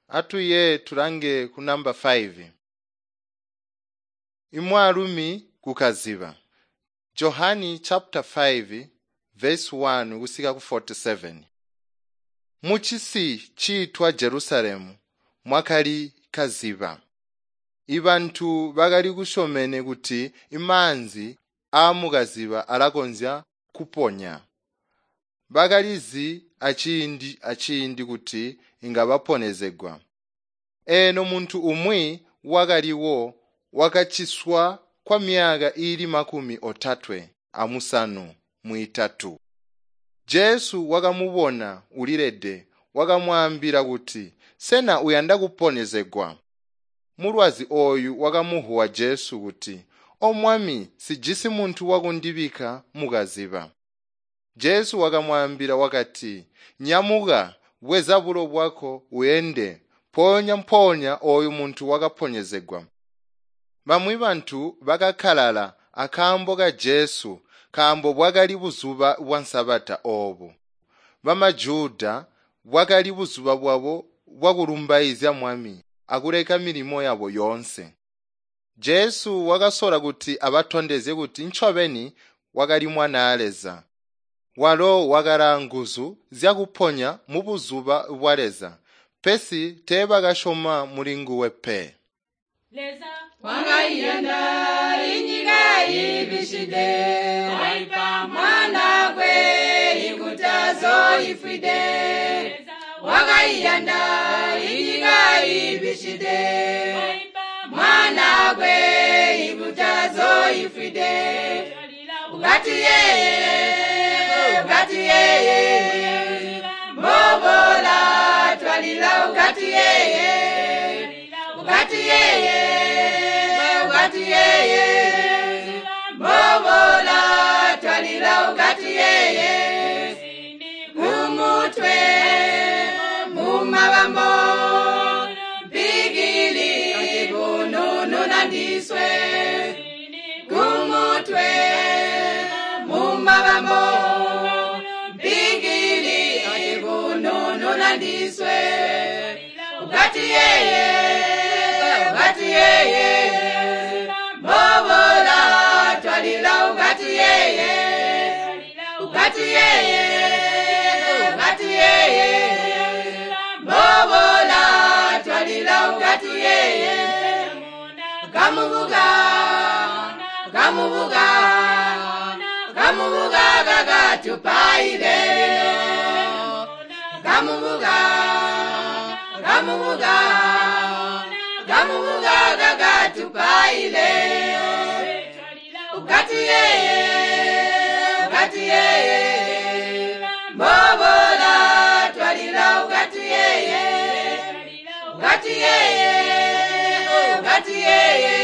Atuye tulange ku namba 5. Imwaalumi kukaziba. Johani chapter 5 verse 1 kusika ku 47. Muchisi ciitwa Jerusalemu mwakali kaziba. Ibantu bakali kusyomene kuti imaanzi aamukaziba alakonzya kuponya. Bakalizi aciindi aciindi kuti inga baponezegwa. Eno muntu umwi wakaliwo wakaciswa kwa myaka iili 38. Jesu wakamubona ulilede wakamwaambila kuti, “Sena uyanda kuponezegwa?” Mulwazi ooyu wakamuvuwa Jesu kuti, “O Mwami, sijisi muntu wakundibikka mukaziba.” Jesu wakamwaambila wakati, “Nyamuka, bweza bulo bwako uende.” Mpoonya-mpoonya ooyu muntu wakaponyezegwa. Bamwi bantu bakakalala akaambo ka Jesu nkaambo bwakali buzuba bwa Nsabata oobo. BamaJuda bwakali buzuba bwabo bwakulumbaizya Mwami akuleka milimo yabo yoonse. Jesu wakasola kuti abatondezye kuti ncobeni wakali Mwanaa Leza. Walo wakalaa nguzu zyakuponya mubuzuba bwa Leza, pesi teebakasyoma mulinguwe pe. Leza Wakaiyanda inyika ibishide waipa mwanakwe ikutazoifwide Leza wakaiyanda inyika ibishide waipa mwanakwe ikutazoifwide twalila ukati yeye ukati yeye mbobola twalila ukati yeye ukati yeye ukati yeye mbobola twalila ukati yeye mumutwe mumabambo mpigili bunununandiswe kumutwe mumabambo mpigili bunununandiswe ukati yeye ukati yeye mbobola twalila ukati yeye ukati yeye ukati yeye mbobola twalila ukati yeye kamubuga kamubuga kamubuga kakatupaile kamubuga kamubuga kamubuga kakatupaile ukati yeye ukati yeye mbobola twalila ukati yeye ukati yeye ukati yeye.